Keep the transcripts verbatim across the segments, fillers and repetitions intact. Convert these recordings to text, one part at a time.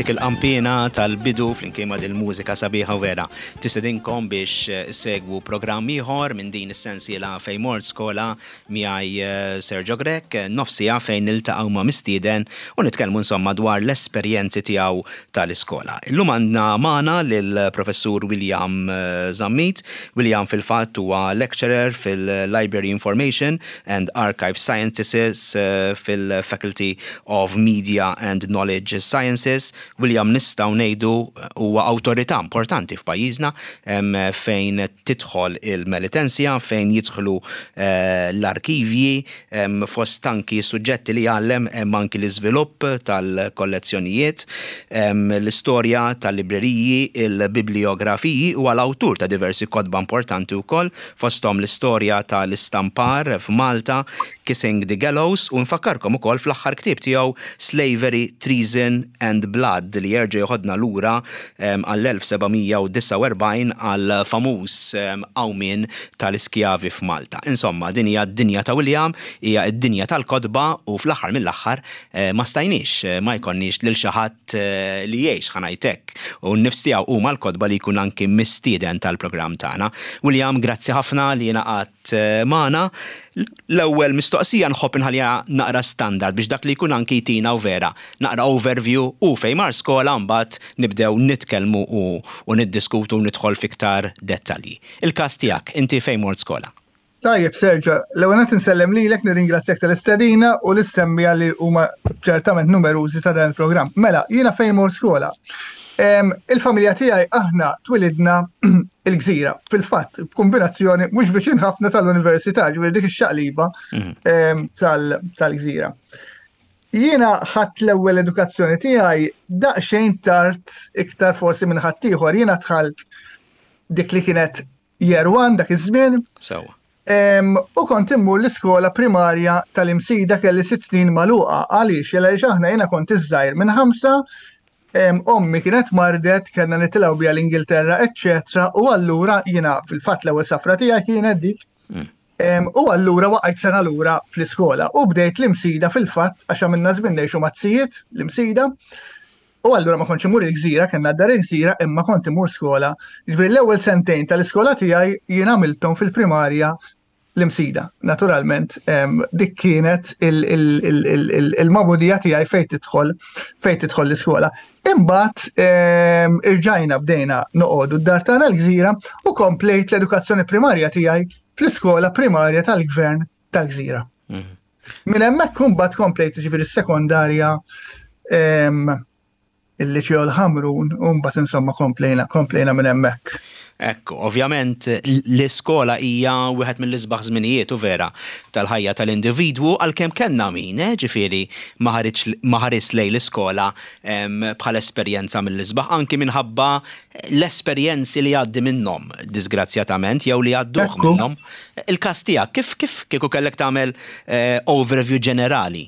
Dik il-qampina tal-bidu flimkien ma' dil-mużika sabiħa vera. Tistedinkom biex eh, segwu programm ieħor minn din is-sensiela Fejn Mort Skola miegħi eh, Sergio Grech, nofs siegħa fejn niltaqgħu ma' mistieden u nitkellmu insomma dwar l-esperjenzi tiegħu tal-iskola. Illum għandna magħna lill-Professur William eh, Zammit. William fil-fatt huwa lecturer fil-Library Information and Archive Sciences fil-Faculty of Media and Knowledge Sciences. William nistgħu ngħidu huwa awtorità importanti f'pajjiżna fejn tidħol il-Melitensia, fejn jidħlu eh, l-arkivji, fost anki suġġetti li jgħallem hemm anki l-iżvilupp tal-kollezzjonijiet, l-istorja tal-libreriji, il-bibliografiji u għal-awtur ta' diversi kotba importanti wkoll, fosthom l-istorja tal-istampar f'Malta, Kissing the Gallows, u nfakkarkom ukoll fl-aħħar ktieb tiegħu Slavery, Treason and Blood li jerġa' joħodna lura għall-elf seba' mija u disgħa u erbgħin, għal famuż qawmien tal-iskjavi f'Malta. Insomma, din hija d-dinja ta' William, hija d-dinja tal-kotba u fl-aħħar mill-aħħar eh, ma stajniex eh, ma jkollniex lil xi ħadd eh, li jgħix, ħa ngħidlek, u n-nifs tiegħu huma l-kotba, li jkun anki mistieden tal-programm tagħna. William, grazzi ħafna li ngħaqadt magħna. L-ewwel mistoqsija nħobb inħalliha naqra standard biex dak li jkun anki jtina u vera naqra overview u fejn mar skola, mbagħad nibdew nitkellmu u, u niddiskutu u nidħol fiktar dettalji. Il-każ tiegħek, inti fejn mort skola? Tajjeb, Sergio, l-ewwel qed insellem lilek, nirringrazzjak tal-istedina u lis-semmiegħa li huma ċertament numerużi ta' dan il-programm. Mela, jiena fejn mort skola? Il-familja tiegħi, aħna twilidna il-Gżira. Fil-fatt, b'kombinazzjoni mhux viċin ħafna tal-università, ġifieri dik ix-xaqliba mhm. tal-Gżira. Jiena ħadt l-ewwel edukazzjoni tiegħi daqsxejn tard iktar forsi minn ħaddieħor. Jiena dħalt dik li kienet Year One dak iż-żmien. Sewa. U kont immur l-iskola primarja tal-Imsida, kelli sitt snin magħluqa. Għaliex? Għaliex aħna, jiena kont iż-żgħir minn ħamsa, ommi kienet mardet, kellna nitilgħu biha l-Ingilterra, eċċetera. U allura jiena fil-fatt l-ewwel safra tiegħi kienet dik. Mm. U allura waqajt sena lura fl-iskola u bdejt l-Imsida fil-fatt, għax għamilna żmien ngħixu maz-zijiet l-Imsida. U allura ma kontx imur il-Gżira, kellna dar il-Gżira, imma kont imur skola. Ġifieri l-ewwel sentejn tal-iskola tiegħi jien għamilthom fil-primarja l-Imsida. Naturalment, dik kienet il-magħmudija tiegħi fejn tidħol fejn tidħol l-iskola. Imbagħad irġajna bdejna noqogħdu d-dar tagħna l-Gżira u komplejt l-edukazzjoni primarja tiegħi fl-iskola primarja tal-gvern tal-Gżira. Mhm. Minn hemmhekk imbagħad komplejt, ġifieri, s-sekondarja il-Liċeo l-Ħamrun u mbagħad insomma komplejna komplejna minn hemmhekk. Ekku, ovvjament l-iskola hija wieħed mill-isbaħ żminijiet u vera tal-ħajja tal-individwu, għalkemm kellna min, eh, ġifieri ma ħares lejn l-iskola bħala esperjenza mill-isbaħ, anki minħabba l-esperjenzi li għaddi minnhom, disgrazzjatament, jew li għadduh minnhom. Il-każ tiegħek, kif kif kieku kellek tagħmel eh, overview ġenerali?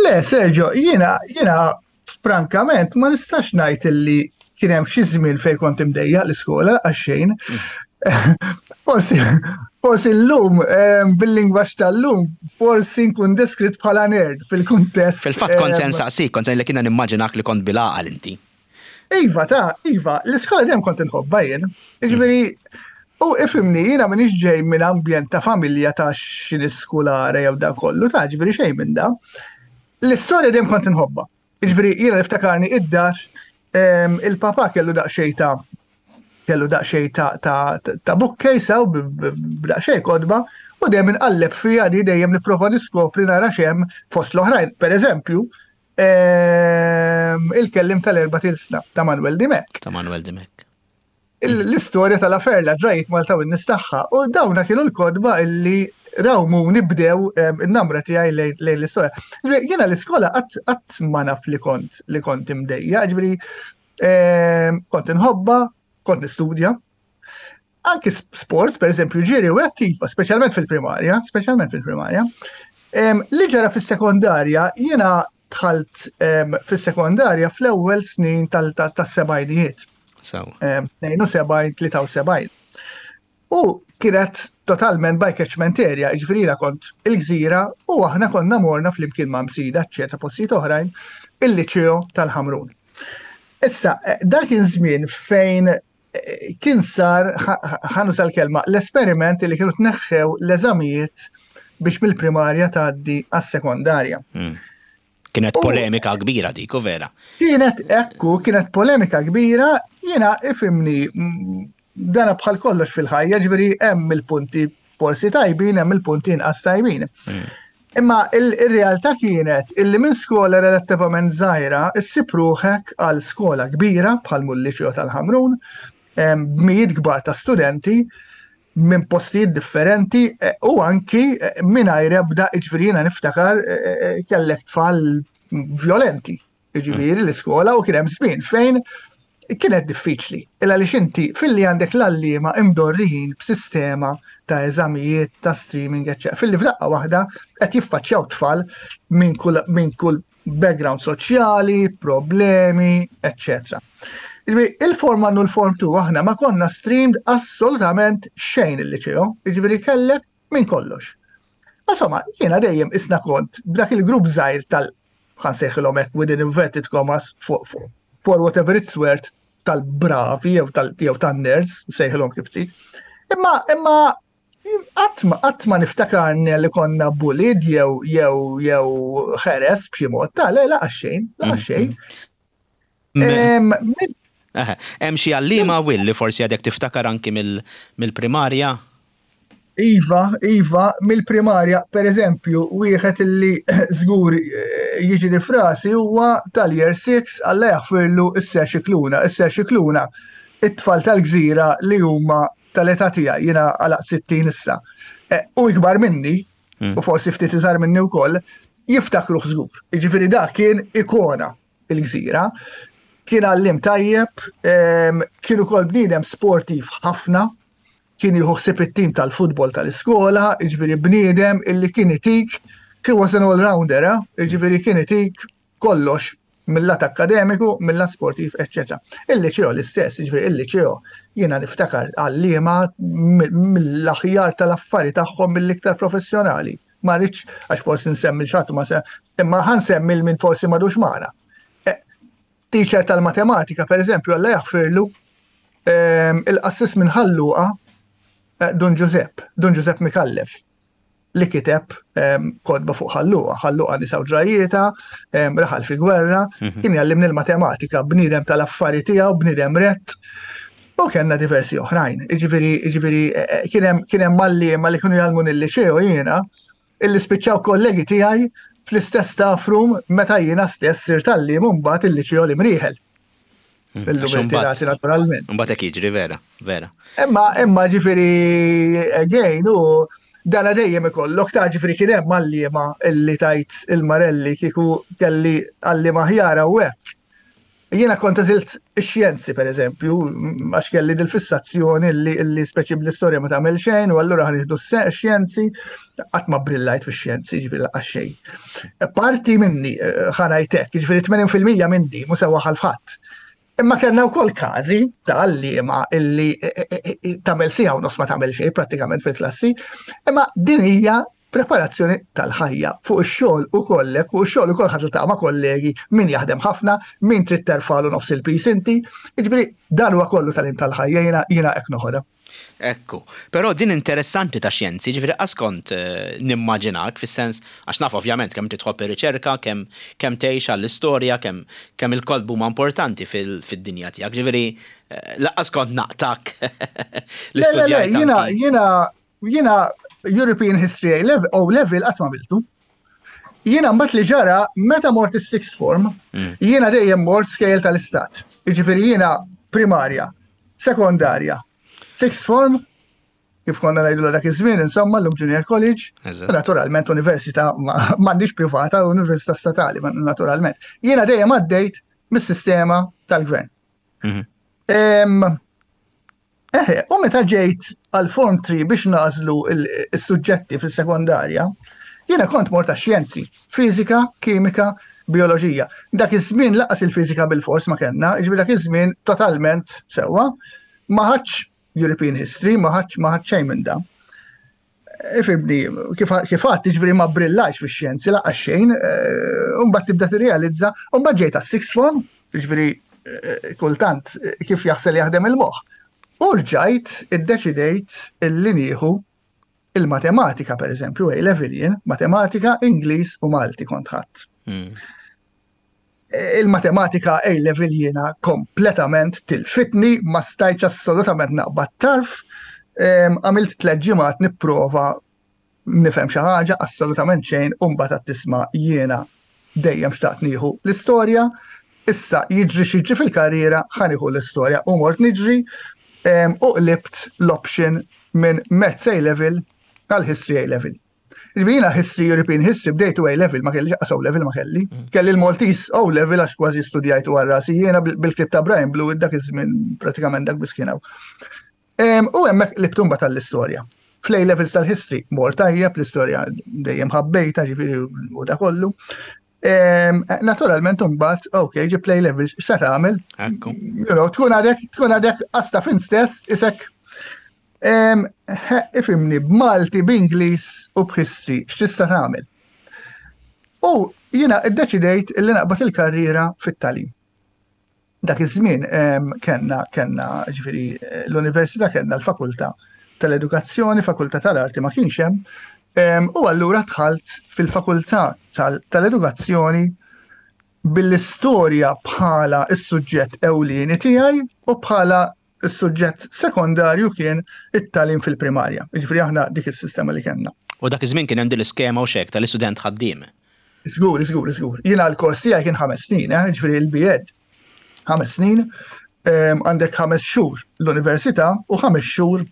Le, Sergio, jiena jiena frankament ma nistax ngħid illi kien hemm xi żmien fejn kont imdejjaq l-iskola, għax xejn. Forsi forsi llum, bil-lingwaġġ tal-lum, forsi nkun deskritt bħala nerd fil-kuntest. Fil-fatt kont se nsaqsik, kont se li kiena nimmaġinak li kont bil-għaqal inti. Iva, ta' iva, l-iskola dejjem kont inħobbha jien. Ġifieri, u ifhimni, jiena m'iniex ġej minn ambjent ta' familja ta' xi skolare jew da kollu, ta' ġifieri xejn minn da. L-istorja dejjem kont inħobbha. Ġifieri jiena niftakarni id-dar, il-papa kellu daqsxejn ta' kellu daqsxejn ta' ta' ta' bookcase u b'daqsxejn kotba u dejjem inqalleb fiha di, dejjem nipprova niskopri nara x'hemm, fost l-oħrajn. Per eżempju, Il-Kelliem tal-Erbat Ilsna ta' Manuel Dimech. Ta' Manuel Dimech. L-istorja tal-Aferla, ġrajiet Malta u n-nies tagħha, u dawna kienu l-kotba illi rawmuni, bdew in-namra tiegħi lejn l-istorja. Jiena l-iskola qatt ma naf li kont li kont imdejjaq, ġifieri kont inħobba, kont nistudja. Anki sports, per eżempju, ġiri u hekk kif, speċjalment fil-primarja, speċjalment fil-primarja. Li ġara fis-sekondarja, jiena dħalt fis-sekondarja fl-ewwel snin tas-sebgħinijiet. Sew. tnejn u sebgħin, tlieta u sebgħin. U kienet totalment by catchment area, ġifieri jiena kont il-Gżira u aħna konna morna flimkien ma' Msida, ċerta postijiet oħrajn, il-Liċeo tal-Ħamrun. Issa, eh, dak kien żmien fejn eh, kien sar, ħa nuża l-kelma, l-esperiment li kienu tneħħew l-eżamijiet biex mill-primarja tgħaddi għas-sekondarja. Hmm. Kienet polemika kbira dik, u vera. Kienet, ekku, kienet polemika kbira, jiena ifhimni, mm, dana bħal kollox fil-ħajja, ġifieri hemm il-punti forsi tajbin, hemm il-punti inqas tajbin. Hmm. Imma il-realtà kienet illi minn skola relattivament żgħira issib ruħek għal skola kbira bħal mul-Liċeo tal-Ħamrun, b'mijiet kbar ta' studenti minn postijiet differenti eh, u anki eh, mingħajr ebda, ġifieri jiena niftakar eh, kellek tfal violenti, ġifieri l-iskola, u kien hemm żmien fejn kienet diffiċli. Illa li xinti filli għandek l-għalliema imdorrijin b'sistema ta' eżamijiet, ta' streaming, eccetera. Filli f'daqqa waħda qed jiffaċċjaw tfal minn kull minn kull background soċjali, problemi, eccetera. Il-Form one u l-Form two aħna ma konna streamed assolutament xejn il-liċeo, ġifieri kellek minn kollox. Insomma, jiena dejjem isna kont b'dak il-grupp żgħir tal, ħa nsejħilhom hekk within inverted commas, for, for, for whatever it's worth, tal-bravi jew tal jew tan-nerds, sejħilhom kif trid. Imma imma qatt ma qatt ma niftakarni li konna bullied jew jew jew ħeres b'xi mod ta' le, laqas xejn, laqas xejn. Em, mill- Hemm xi għalliema Will li forsi għadek tiftakar anki mill-primarja? Iva, Iva, mill-primarja, per eżempju, wieħed illi żgur eh, jiġi f'rasi huwa tal-year six, Alla jaħfirlu, is-Sir Xikluna. Is-Sir Xikluna, it-tfal tal-Gżira li huma tal-età tiegħi, jiena għalaq sittin issa, eh, u ikbar minni, mm. u forsi ftit iżgħar minni wkoll, jiftakru żgur. Jiġifieri dak kien ikona il-Gżira. Kien għallim tajjeb, kien ukoll bniedem sportiv ħafna, kien jieħu ħsieb it-tim tal-futbol tal-iskola, jiġifieri bniedem illi kien itik, he was an all-rounder, eh? Jiġifieri kien itik kollox mill-lat akademiku, mill-lat sportiv, eccetera. Il-liċeo l-istess, jiġifieri il-liċeo jiena niftakar għalliema mill-aħjar tal-affari tagħhom, mill-iktar professjonali. Ma rridx għax forsi nsemmi xatu ma se, imma ħa nsemmi minn forsi m'għadux magħna. Eh, teacher tal-matematika, per eżempju, Alla jaħfirlu, ehm, il-qassis minn Ħal Luqa, eh, Dun Giuseppe, Dun Giuseppe Mikallef, li kiteb ehm, kotba fuq Ħal Luqa, Ħal Luqa nisa u ġrajjietha, ehm, raħal fi gwerra, mhm. kien jgħallimni l-matematika, bniedem tal-affari tiegħu, bniedem rett, u kellna diversi oħrajn. Ġifieri, ġifieri, eh, kien hemm għalliema li kienu jgħallmu il-liċeo jiena, illi spiċċaw kollegi tiegħi fl-istess staff room meta jiena stess sirt għalliem mbagħad il-liċeo l-Imrieħel. Hmm. Illum irtirati naturalment. Mbagħad hekk jiġri, vera, vera. Imma imma ġifieri again u dana dejjem ikollok ta' ġifieri kien hemm għalliema illi tajt il-Marelli kieku kelli għalliema aħjar u hekk. Jiena kont għażilt ix-xjenzi, per eżempju, għax kelli dil-fissazzjoni li, li speċi bl-istorja ma tagħmel xejn u allura ħa nieħdu x-xjenzi, qatt ma brillajt fix-xjenzi, ġifieri laqas xejn. Parti minni, eh, ħa ngħidlek, ġifieri tmenin fil-mija minni mhu sewa ħalfħadd. Imma kellna wkoll każi ta' għalliema illi eh, eh, tagħmel siegħa u nofs ma tagħmel xejn prattikament fil-klassi, imma din hija preparazzjoni tal-ħajja fuq ix-xogħol ukollek, fuq ix-xogħol ukoll ħadd ta' ma' kollegi, min jaħdem ħafna, min trid terfalu nofs il-pis inti. Jiġifieri dan huwa kollu tagħlim tal-ħajja, jiena jiena hekk noħodha. Ekku, però din interessanti ta' xjenzi, ġifieri qas kont eh, nimmaġinak, fis-sens, għax naf ovvjament kemm titħobb ir-riċerka, kemm kemm tgħix għall-istorja, kemm kemm il-kotba huma importanti fil-dinja tiegħek. Ġifieri eh, laqqas kont naqtak l-istudjajt. Jiena jiena jiena European History A level, O level qatt ma għamiltu. Jiena mbagħad li ġara meta mort is-sixth form, mm. jiena dejjem mort skejjel tal-istat. Jiġifieri jiena primarja, sekondarja, sixth form, kif konna ngħidu dak iż-żmien, insomma, l-lum junior college, naturalment università m'għandix privata, università statali, naturalment. Jiena dejjem għaddejt mis-sistema tal-gvern. Mhm. Eħe, u meta ġejt għal Form three biex nagħżlu il-suġġetti fis-sekondarja, jiena kont mort xjenzi, fizika, kimika, bioloġija. Dak iż-żmien laqas il-fiżika bil-fors ma kellna, jiġifieri dak iż-żmien totalment sewwa, ma ħadx European History, ma ħadx ma ħadt xejn minn da. Ifhimni, kif għedt, ġifieri ma brillajtx fix-xjenzi, lanqas xejn, u mbagħad tibda tirrealizza, u mbagħad ġejt għas-sixth form, ġifieri kultant kif jaħsel jaħdem il-moħħ. U rġajt iddeċidejt illi nieħu il-matematika, per eżempju, A-level jien, matematika, Ingliż u Malti kont ħadt. Hmm. Il-matematika A-level jiena kompletament tilfitni, ma stajtx assolutament naqbad tarf, għamilt tliet ġimgħat nipprova nifhem xi ħaġa, assolutament xejn, u mbagħad tisma' jiena dejjem xtaqt nieħu l-istorja, issa jiġri x'jiġri fil-karriera, ħa nieħu l-istorja u mort niġri u qlibt l-option minn Maths A-level għal History A-level. Jiena History, European History, bdejtu A-level, ma kelli O level ma kelli. Mm. Kelli l-Maltese O level għax kważi studjajtu għal rasi jiena bil-ktieb ta' Brian Blue dak iż-żmien pratikament dak biss kien hawn. U hemmhekk qlibt imbagħad tal-istorja. Fl-A levels tal-history, mort tajjeb, l-istorja dejjem ħabbejta, ġifieri u da kollu. Naturalment mbagħad, ok, ġib A levels, x'se tagħmel? You know, tkun għadek, tkun għadek asta fin stess, isek ifhimni b'Malti, b'Ingliż u b'history, x'tista' tagħmel? U jiena iddeċidejt illi naqbad il-karriera fit-tagħlim. Dak iż-żmien kellna kellna ġifieri l-università kellna l-fakultà tal-edukazzjoni, fakultà tal-arti ma kienx hemm, u allura dħalt fil-fakultà tal-edukazzjoni bil-istorja bħala is-suġġett ewlieni tiegħi u bħala is-suġġett sekondarju kien it-tagħlim fil-primarja. Ġifieri aħna dik is-sistema li kellna. U dak iż-żmien kien hemm din l-iskema u xek tal-istudent ħaddiem. Żgur, żgur, żgur. Jiena l-kors tiegħi kien ħames snin, eh, ġifieri il-B Ed. Ħames snin, għandek ħames xhur l-università u ħames xhur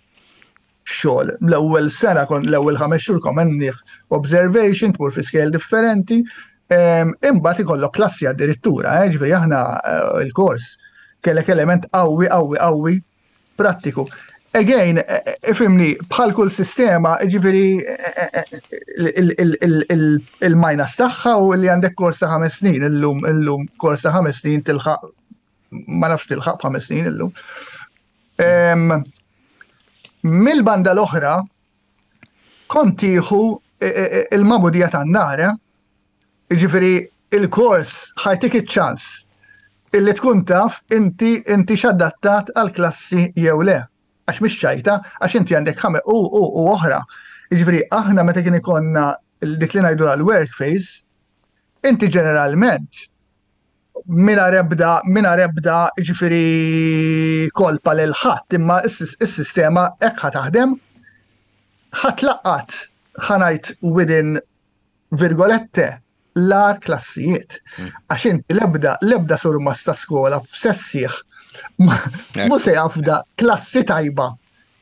xogħol. L-ewwel sena kon l-ewwel ħames xhur komenniħ observation, tmur fi skejjel differenti, imbagħad ikollok klassi addirittura, eh, ġifieri aħna eh, il-kors kellek element qawwi, qawwi, qawwi prattiku. Again, ifhimni, bħal kull sistema, ġifieri il-minus tagħha u li għandek kors ta' ħames snin, illum, illum kors ta' ħames snin tilħaq, ma nafx tilħaq b'ħames snin illum. Mill-banda l-oħra, kont tieħu il-magħmudija tan-nar, ġifieri il-kors ħa jtik iċ-ċans illi tkun taf inti inti x'adattat għal-klassi jew le. Għax mhix ċajta, għax inti għandek ħame u u u oħra. Jiġifieri aħna meta kien ikollna dik li ngħidu għal-work phase, inti ġeneralment mina rebda, mina rebda ġifieri kolpa lil ħadd, imma is-sistema hekk ħa taħdem, ħa tlaqqat, ħa ngħid within virgolette l-agħar klassijiet. Hmm. Għax inti lebda, lebda surmast ta' skola f'sessieħ mhu se jafda klassi tajba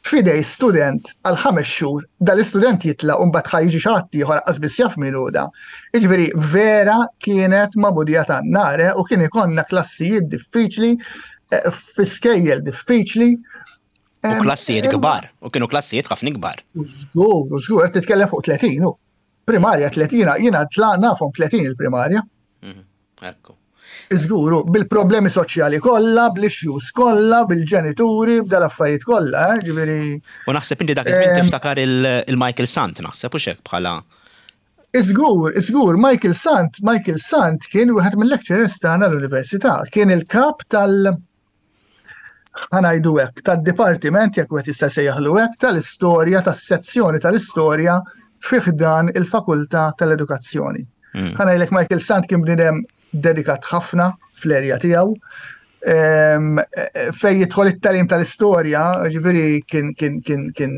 f'idejn student għal ħames xhur, dal-istudent jitla u mbagħad ħa jiġi xi ħadd ieħor qas biss jaf min hu da. Jiġifieri vera kienet magħmudija tan-nar u kien ikollna klassijiet diffiċli, eh, fi skejjel diffiċli. U klassijiet kbar, u kienu klassijiet ħafna kbar. Żgur, żgur, qed titkellem fuq tletin, primarja tletin, jiena tla nafhom tletin il-primarja. Mhm, ekku. Iżguru, bil-problemi soċjali kollha, bl-issues kollha, bil-ġenituri, b'dal-affarijiet kollha, eh, ġifieri. U naħseb inti dak iż-żmien tiftakar il-Michael Sant, naħseb u xek bħala. Iżgur, iżgur, Michael Sant, Michael Sant kien wieħed mill-lecturers tagħna l-università, kien il-kap tal- ħa ngħidu hekk, tad-dipartiment, jekk wieħed jista' jsejjaħlu hekk, tal-istorja, tas-sezzjoni tal-istorja fi ħdan il-Fakultà tal-Edukazzjoni. Mm. Ħa ngħidlek, Michael Sant kien bniedem dedikat ħafna fl-erja tiegħu. Fej jidħol it-tagħlim tal-istorja, ġifieri kien kien kien kien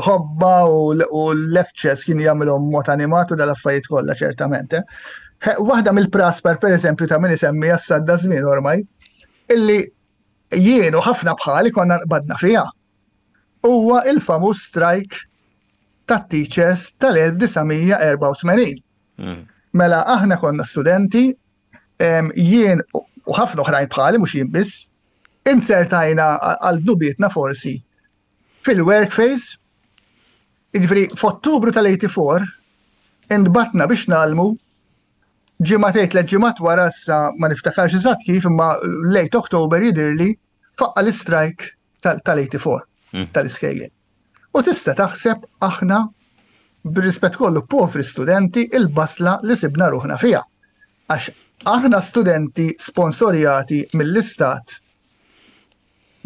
ħobba u l-lectures kien jagħmilhom mod animat u dal-affarijiet kollha ċertament. Eh. Waħda mill-praspar, per eżempju, ta' min isemmi għas-sadda żmien ormai, illi jien u ħafna bħali konna nqbadna fiha. Huwa il-famuż strike tat-teachers tal-elf disa' mija erbgħa u tmenin. Mm. Mela aħna konna studenti, jien u ħafna oħrajn bħali, mhux jien biss, insertajna għal dnubietna forsi fil-work phase, jiġifieri f'Ottubru tal-erbgħa u tmenin intbagħtna biex ngħallmu ġimagħtejn, tliet ġimgħat wara, sa ma niftakarx eżatt kif, imma late October jidirli faqqa l-strike tal-erbgħa u tmenin. mm. tal-iskejjel. U tista' taħseb aħna, bir-rispett kollu, povri studenti, il-basla li sibna ruħna fiha. Għax aħna studenti sponsorjati mill-istat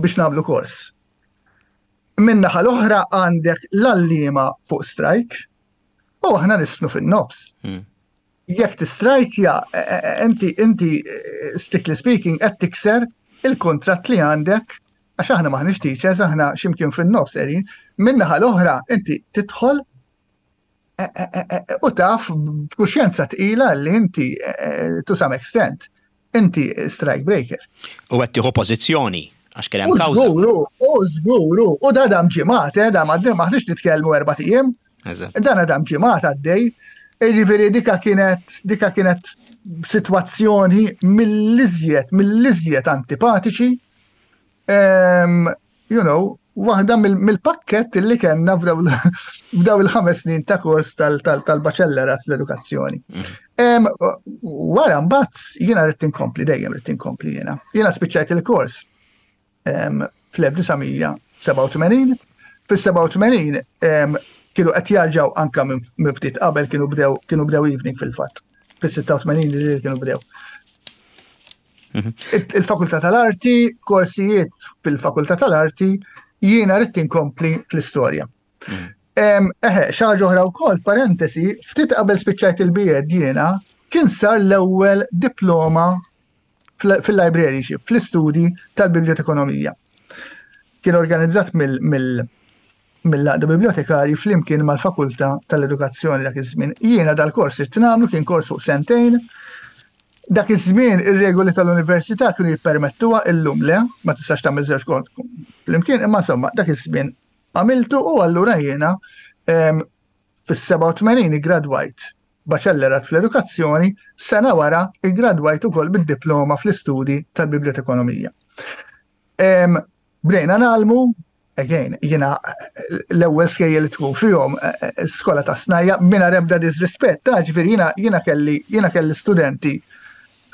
biex nagħmlu kors. Min-naħa l-oħra għandek l-għalliema fuq strike u aħna nisnu fin-nofs. Hmm. Jekk tistrajkja, e, e, e, inti inti strictly speaking qed tikser il-kontratt li għandek, għax aħna maħniex teachers, aħna ximkien fin-nofs qegħdin. Min-naħa l-oħra inti tidħol u taf b'kuxjenza tqila li inti, to some extent, inti strike breaker. U qed tieħu pożizzjoni għax kien hemm kawża. Żguru, u żguru, u da dam ġimgħat, eh, da maħniex nitkellmu erbat ijiem. Dan dam ġimgħat għaddej. Jiġifieri dika kienet dika kienet sitwazzjoni mill-iżjed, mill-iżjed antipatiċi. Um, you know, waħda mill-pakket li kellna f'daw il-ħames snin ta' kors tal-baċellerat fl-edukazzjoni. Mm. Wara mbagħad jiena rrid inkompli, dejjem rrid inkompli jiena. Jiena spiċċajt il-kors fl-elf disa' mija sebgħa u tmenin. Fis-sebgħa u tmenin kienu qed jarġgħu, anka minn ftit qabel kienu bdew kienu bdew evening fil-fatt. Fis-sitta u tmenin li kienu bdew. Mhm. Il-Fakultà tal-Arti, korsijiet fil-Fakultà tal-Arti, jiena rrid inkompli fl-istorja. Mhm. Eħe, xi ħaġa oħra wkoll, parentesi, ftit qabel spiċċajt il-B Ed jiena, kien sar l-ewwel diploma fil-librarianship, fl-istudji tal-bibliotekonomija. Kien organizzat mill-Għaqda Bibliotekari flimkien mal-Fakultà tal-Edukazzjoni dak iż-żmien. Jiena dal-kors irid nagħmlu, kien kors fuq sentejn. Dak iż-żmien ir-regoli tal-università kienu jippermettuha, illum le, ma tistax tagħmel żewġ kont flimkien, imma insomma dak iż-żmien għamiltu u allura jiena fis-sebgħa u tmenin gradwajt baċellerat fl-edukazzjoni, sena wara iggradwajt ukoll bid-diploma fl-istudji tal-bibliotekonomija. Bdejna ngħallmu, again, jiena l-ewwel skejjel li tkun fihom eh, eh, skola ta' snajja', mingħajr ebda disrispett, ta' ġifieri jiena jiena kelli jiena kelli studenti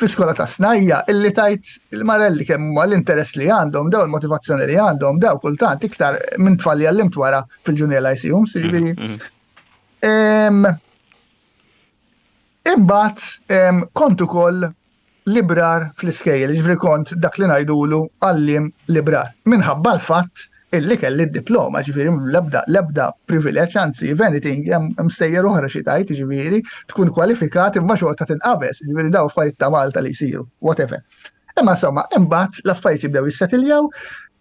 fi skola ta' snajja' illi tajt il-marelli kemm huma l-interess li għandhom, daw il-motivazzjoni li għandhom, daw kultant iktar minn tfal li għallimt wara fil-junior lyceum, ġifieri. Mhm, mhm. Imbagħad kont ukoll librar fl-iskejjel, ġifieri kont dak li ngħidulu għalliem librar. Minħabba l-fatt illi kelli d-diploma, ġifieri l-ebda l-ebda privileġġ, anzi, if anything, hemm stejjer oħra xi tajt, ġifieri tkun kwalifikat imma xorta tinqabeż, ġifieri daw affarijiet ta' Malta li jsiru, whatever. Imma insomma, imbagħad l-affarijiet jibdew jissetiljaw.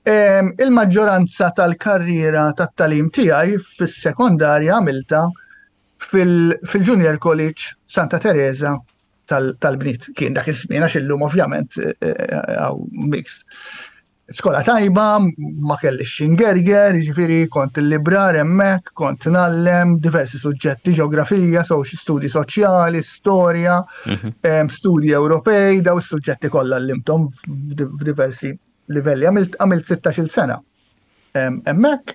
Il-maġġoranza tal-karriera tat-tagħlim tiegħi fis-sekondarja għamilta fil-Junior College Santa Teresa tal-bniet. Kien dak iż-żmien, għax illum ovvjament eh, eh, mixed. Skola tajba, ma kellix x'ingerger, ġifieri kont il-librar hemmhekk, kont ngħallem diversi suġġetti, ġeografija, studji soċjali, storja, mhm. studji Ewropej, daw is-suġġetti kollha għallimthom f'diversi livelli. Għamilt sittax-il sena hemmhekk.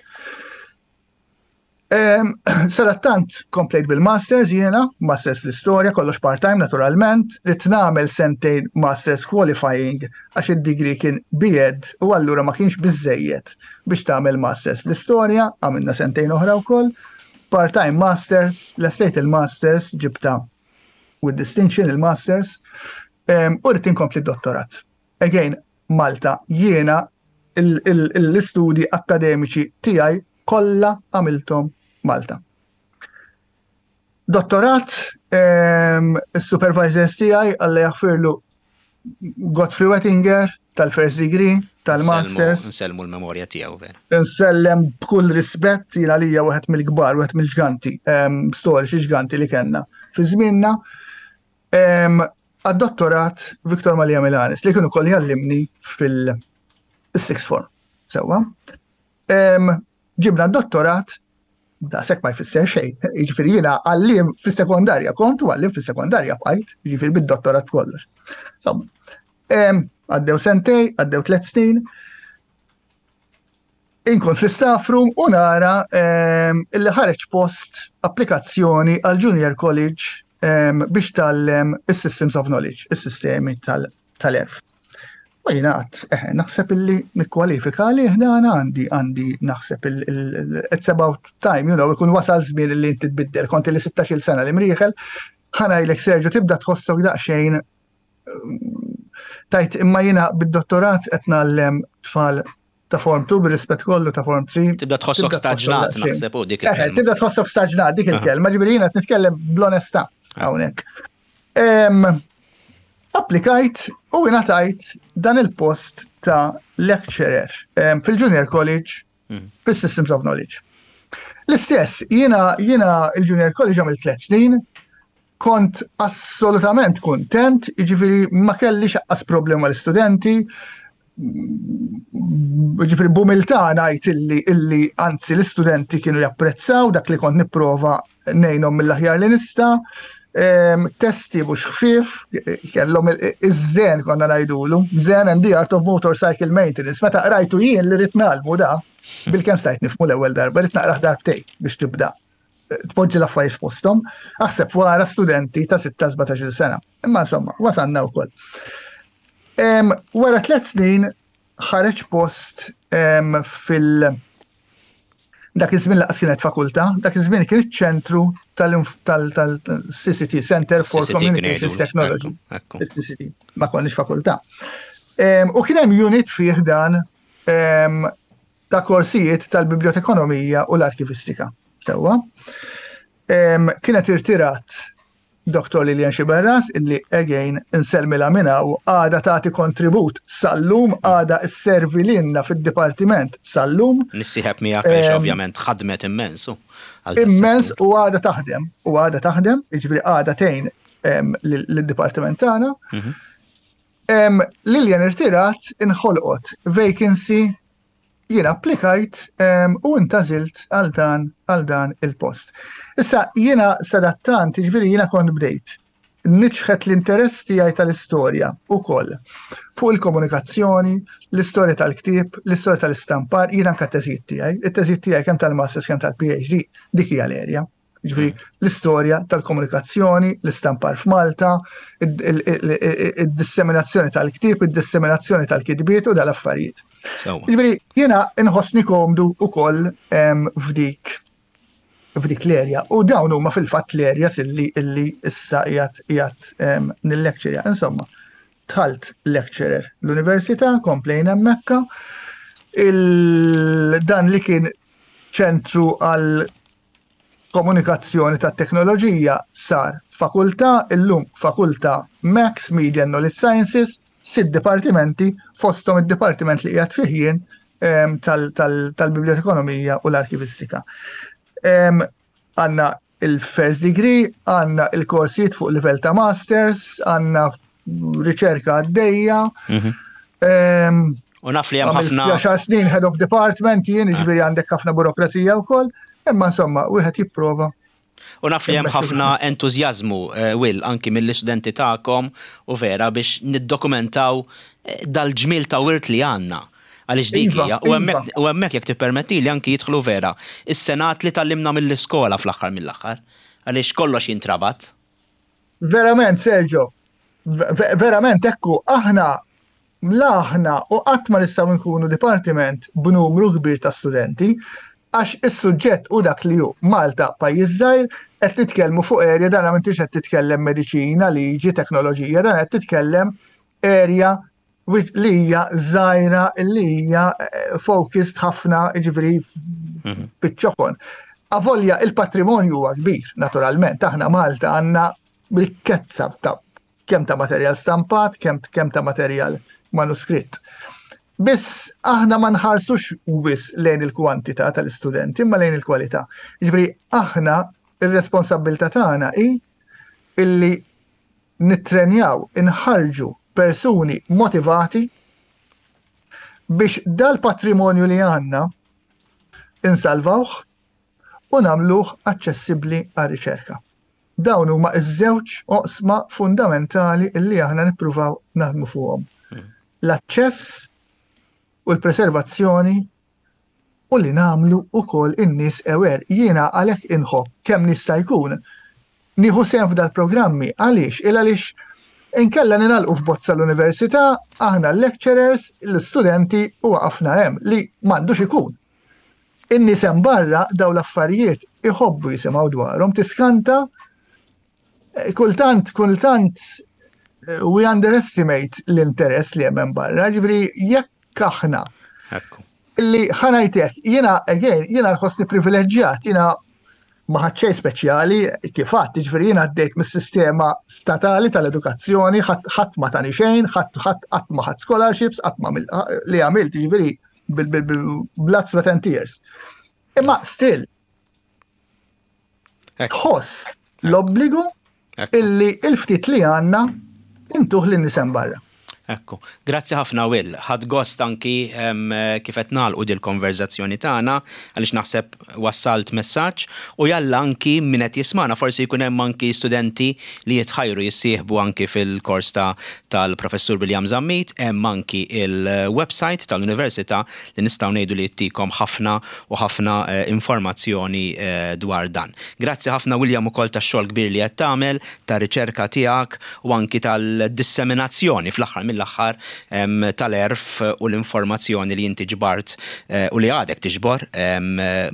Sadattant komplejt bil-masters jiena, masters fl-istorja, kollox part-time naturalment, ridt nagħmel sentejn masters qualifying għax id-degree kien B Ed u allura ma kienx biżejjed biex tagħmel masters fl-istorja, għamilna sentejn oħra wkoll. Part-time masters, lestejt il-masters, ġibta with distinction il-masters, u rrid inkompli dottorat. Again, Malta, jiena l-istudji akademiċi tiegħi kollha għamilthom Malta. Dottorat, il-supervisors tiegħi, Alla jaħfirlu, Godfrey Wettinger, tal-first degree, tal-masters. Nsellmu l-memorja tiegħu vera. Nsellem b'kull rispett, jiena lija wieħed mill-kbar, wieħed mill-ġganti, storiċi ġganti li kellna fi żmienna. Għad-dottorat Victor Malia Milanis li kienu koll jgħallimni fil-sixth form. Sewwa. Ġibna d-dottorat, daqshekk ma jfisser xejn. Jiġifieri jiena għalliem fis-sekondarja kont u għalliem fis-sekondarja bqajt, jiġifieri bid-dottorat kollox. Għaddew sentej, għaddew tliet snin. Inkun fl-staff room u nara illi ħareġ post applikazzjoni għal Junior College biex tgħallem is-Systems of Knowledge, is-sistemi tal-għerf. U jiena għedt, eh, naħseb illi nikkwalifika li dan għandi għandi naħseb it's about time, you know, ikun wasal żmien li inti tbiddel, kont ili sittax-il sena l-Imrieħel, ħa ngħidlek, Sergio, tibda tħossok daqsxejn tajt imma jiena bid-dottorat qed ngħallem tfal ta' form two, bir-rispett kollu, ta' form three. Tibda tħossok staġnat, naħseb u dik il-kelma. Tibda tħossok staġnat dik il-kelma, ġifieri jiena qed nitkellem bl-onestà hawnhekk. Applikajt u ingħatajt dan il-post ta' lecturer fil-Junior College mhm. fil-Systems of Knowledge. L-istess, jiena jiena il-Junior College għamil tliet snin, kont assolutament kontent, jiġifieri ma kellix anqas problema l-istudenti, ġifieri b'umiltà ngħid illi illi anzi l-istudenti kienu japprezzaw dak li kont nipprova ngħinhom mill-aħjar li nista'. Testi mhux ħfief, kellhom iż-Zen konna ngħidulu, Zen and the Art of Motorcycle Maintenance. Meta qrajtu jien li rrid ngħallmu da, bilkemm stajt nifhmu l-ewwel darba, rrid naqrah darbtejn biex tibda tpoġġi l-affarijiet f'posthom, aħseb wara studenti ta' sittax sbatax-il sena. Imma insomma, wasalna wkoll. Wara tliet snin ħareġ post fil- dak iż-żmien lanqas kienet fakultà, dak iż-żmien kien iċ-ċentru tal-C C T, Center for Communications Technology. C C T, ma konniex fakultà. U kien hemm unit fih dan ta' korsijiet tal-bibliotekonomija u l-arkivistika. Sewwa. Kienet irtirat Doktor Lilian Xiberras, illi again insellmilha minn hawn, għadha tagħti kontribut sal-lum, għadha sservi lilna fid-dipartiment sal-lum. Nissieħeb miegħek għaliex ovvjament ħadmet immens. Immens u għadha taħdem, u għadha taħdem, jiġifieri għadha tgħin lid-dipartiment tagħna. Mhm. Lilian irtirat, inħolqot vacancy, jien applikajt u intgħażilt għal dan għal dan il-post. Issa jiena sadattant, ġifieri jiena kont bdejt niċħet l-interess tiegħi tal-istorja ukoll fuq il-komunikazzjoni, l-istorja tal-ktieb, l-istorja tal-istampar, jiena anke t-teżijiet tiegħi, it-teżijiet tiegħi kemm tal-masters kemm tal-P H D, dik hija l-erja. Ġifieri l-istorja tal-komunikazzjoni, l-istampar f'Malta, id-disseminazzjoni tal-ktieb, id-disseminazzjoni tal-kitbiet u dal-affarijiet. Ġifieri jiena inħossni komdu ukoll f'dik f'dik l-erja. U dawn huma fil-fatt l-areas illi illi issa qiegħed qiegħed nil-lecture. Insomma, dħalt lecturer l-università, komplejna hemmhekk. Dan li kien ċentru għal komunikazzjoni ta' teknoloġija sar fakultà, illum fakultà Max Media and Knowledge Sciences, sitt dipartimenti, fostom id-dipartiment li qiegħed fih jien tal-bibliotekonomija u l-arkivistika. Għandna il-first degree, għandna il-korsijiet fuq livell ta' masters, għandna riċerka għaddejja. Mhm. U naf li hemm ħafna. Għaxar snin head of department jien, ġifieri għandek ħafna burokrazija wkoll, imma insomma, wieħed jipprova. U naf li hemm ħafna entużjażmu, eh, Will, anki mill-istudenti tagħkom u vera biex niddokumentaw eh, dal-ġmil ta' wirt li għandna. Għaliex dik iva, hija, u iva. hemmhekk jekk tippermetti li anki jidħlu vera is-senat li tgħallimna mill-iskola fl-aħħar mill-aħħar. Għaliex kollox jintrabat. Verament, Sergio, verament ekku, aħna la aħna u qatt ma nistgħu nkunu dipartiment b'numru kbir ta' studenti, għax is-suġġett u dak li hu Malta pajjiż żgħir, qed nitkellmu fuq area, dan m'intix qed titkellem mediċina, liġi, teknoloġija, dan qed titkellem area li hija żgħira, li hija eh, focused ħafna, jiġifieri mhm. fiċ-ċokon. Avolja il-patrimonju huwa kbir, naturalment, aħna Malta għandna rikkezza ta' kemm ta' materjal stampat, kemm kemm ta' materjal manuskritt. Biss aħna ma nħarsux wisq lejn il-kwantità tal-istudenti, imma lejn il-kwalità. Ġifieri aħna ir-responsabilità tagħna hi illi nittrenjaw, inħarġu persuni motivati biex dal-patrimonju li għandna insalvawh u nagħmluh aċċessibbli għar-riċerka. Dawn huma iż-żewġ oqsma fundamentali illi aħna nippruvaw naħdmu fuqhom. Hmm. L-aċċess u l-preservazzjoni u li nagħmlu ukoll in-nies aware. Jiena għalhekk inħobb kemm nista' jkun nieħu sehem f'dal-programmi. Għaliex? Il għaliex Inkella ningħalqu f'bozza l-università, aħna l-lecturers, l-studenti u waqafna hemm li m'għandux ikun. In-nies hemm barra daw l-affarijiet iħobbu jisimgħu dwarhom, tiskanta eh, kultant, kultant eh, we underestimate l-interess li hemm barra, ġifieri jekk aħna li ħa ngħidlek, jiena, again, jiena nħossni privileġġjat, jiena ma ħadt xejn speċjali kif għedt, ġifieri jiena għaddejt mis-sistema statali tal-edukazzjoni, ħadd ma tani xejn, ħadd ħadd qatt ma ħadt scholarships, qatt ma li għamilt, ġifieri bil-blood, sweat and tears. Imma still, tħoss l-obbligu illi il-ftit li għandna intuh lin-nies hemm barra. Ekku, grazzi ħafna, Will. Ħadt gost anki kif qed nagħlqu dil-konverzazzjoni tagħna għaliex naħseb wassalt messaġġ u jalla anki min qed jismana forsi jkun hemm anki studenti li jitħajru jissieħbu anki fil-kors ta' tal-Professur William Zammit, hemm anki il-website tal-Università li nistgħu ngħidu li jtikom ħafna u ħafna eh, informazzjoni eh, dwar dan. Grazzi ħafna, William, ukoll tax-xogħol kbir li qed tagħmel, ta' riċerka tiegħek u anki tal-disseminazzjoni fl-aħħar mill-aħħar tal-għerf u l-informazzjoni li inti ġbart eh, u li għadek tiġbor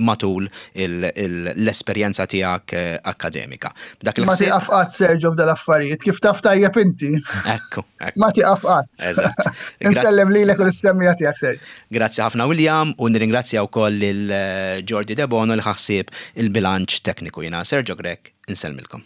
matul l-esperjenza tiegħek eh, akademika. Dak Ma tiqaf qatt, Sergio, f'dal-affarijiet, kif taf tajjeb inti. Ekku. Ma tiqaf qatt. Eżatt. Insellem lilek u lis-semmiegħa tiegħek, Sergio. Grazzi ħafna, William, u nirringrazzja wkoll lil eh, Jordi Debono li ħa ħsieb il-bilanċ tekniku. Jiena Sergio Grech, insellmilkom.